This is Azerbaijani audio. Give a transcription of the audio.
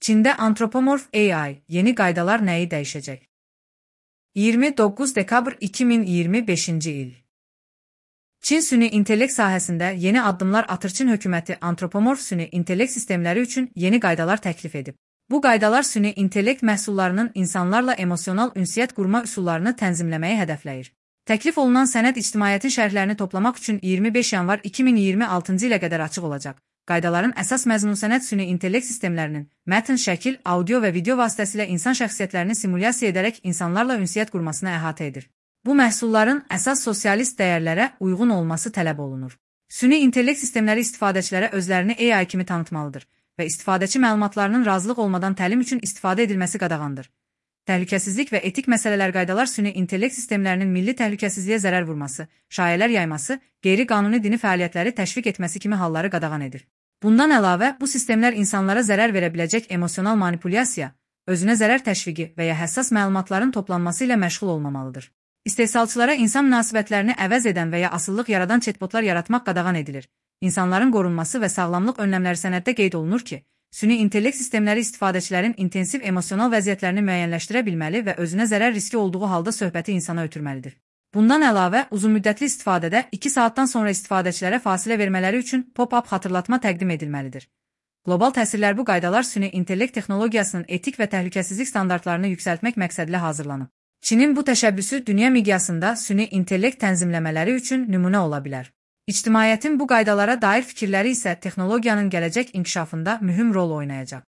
Çində antropomorf AI yeni qaydalar nəyi dəyişəcək? 29 dekabr 2025-ci il. Çin süni intellekt sahəsində yeni addımlar atır. Çin hökuməti antropomorf süni intellekt sistemləri üçün yeni qaydalar təklif edib. Bu qaydalar süni intellekt məhsullarının insanlarla emosional ünsiyyət qurma üsullarını tənzimləməyi hədəfləyir. Təklif olunan sənəd ictimaiyyətin şərhlərini toplamaq üçün 25 yanvar 2026-cı ilə qədər açıq olacaq. Qaydaların əsas məzmunu sənəd süni intellekt sistemlərinin mətn, şəkil, audio və video vasitəsilə insan şəxsiyyətlərini simulyasiya edərək insanlarla ünsiyyət qurmasına əhatə edir. Bu məhsulların əsas sosialist dəyərlərə uyğun olması tələb olunur. Süni intellekt sistemləri istifadəçilərə özlərini AI kimi tanıtmalıdır və istifadəçi məlumatlarının razılıq olmadan təlim üçün istifadə edilməsi qadağandır. Təhlükəsizlik və etik məsələlər qaydalar süni intellekt sistemlərinin milli təhlükəsizliyə zərər vurması, şayələr yayması, qeyri-qanuni dini fəaliyyətləri təşviq etməsi kimi halları qadağan edir. Bundan əlavə, bu sistemlər insanlara zərər verə biləcək emosional manipulyasiya, özünə zərər təşviqi və ya həssas məlumatların toplanması ilə məşğul olmamalıdır. İstehsalçılara insan münasibətlərini əvəz edən və ya asıllıq yaradan chatbotlar yaratmaq qadağan edilir. İnsanların qorunması və sağlamlıq önləmləri sənəddə qeyd olunur ki, süni intellekt sistemləri istifadəçilərin intensiv emosional vəziyyətlərini müəyyənləşdirə bilməli və özünə zərər riski olduğu halda söhbəti insana ötürməlidir. Bundan əlavə, uzunmüddətli istifadədə 2 saatdan sonra istifadəçilərə fasilə vermələri üçün pop-up xatırlatma təqdim edilməlidir. Qlobal təsirlər bu qaydalar süni intellekt texnologiyasının etik və təhlükəsizlik standartlarını yüksəltmək məqsədilə hazırlanıb. Çinin bu təşəbbüsü dünya miqyasında süni intellekt tənzimləmələri üçün nümunə ola bilər. İctimaiyyətin bu qaydalara dair fikirləri isə texnologiyanın gələcək inkişafında mühüm rol oynayacaq.